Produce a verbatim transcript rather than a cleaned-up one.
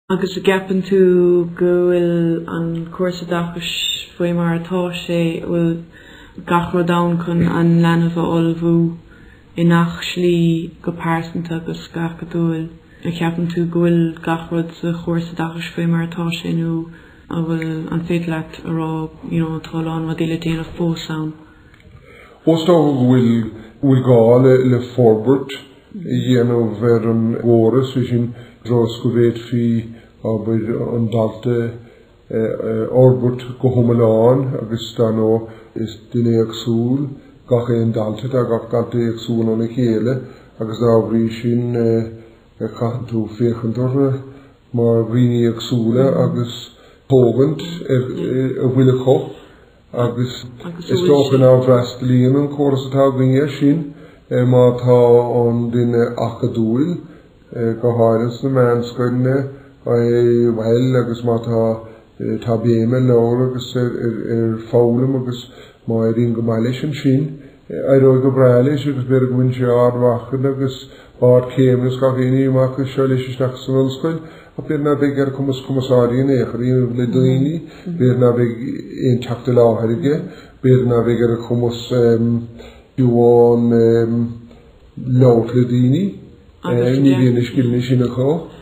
Agus an gceapann tú go bhfuil an córas oideachais faoi mar atá sé bhfuil gach rud ann chun an leanbh a ullmhú i ngach slí go pearsanta agus go hacadúil. An gceapann tú go bhfuil gach rud sa chóras oideachais faoi mar atá sé nó an bhfuil an féidir leat a rá you know, tá lán rudaí le déanamh fós ann. Is dócha go bhfuil bhfuil gá le le forbairt a dhéanamh ar an gcóras sin dros go bhféadfaí abair an dalta fhorbairt go hiomlán agus dar ndóigh is duine éagsúil gach aon dalta tá gach dalta éagsúil óna chéile agus dá bhrí sin caitheann tú féachaint orthu mar dhaoine éagsúla agus tógaint ar a bhfuil acu agus is dócha nach bhfreastalaíonn an córas atá againne sin má tá an duine acadúil go háirithe sna meánscoileanna bhuel agus má tá tá béim ar leabhar agus ar foghlaim agus má éiríonn go maith leis ansin éireoidh go breá leis agus b'fhéidir go bhfuil sé ardmharcanna agus ardchéim agus gach aon ní amach seo leis isteach san ollscoil ach b'fhéidir ná beidh ar cumas cumarsáid in aon chor le daoine b'fhéidir ná beidh aon teacht i láthair aige b'fhéidir ná beidh ar a chumas fiú amháin labhairt le daoine ní bhíonn na scileanna sin acu.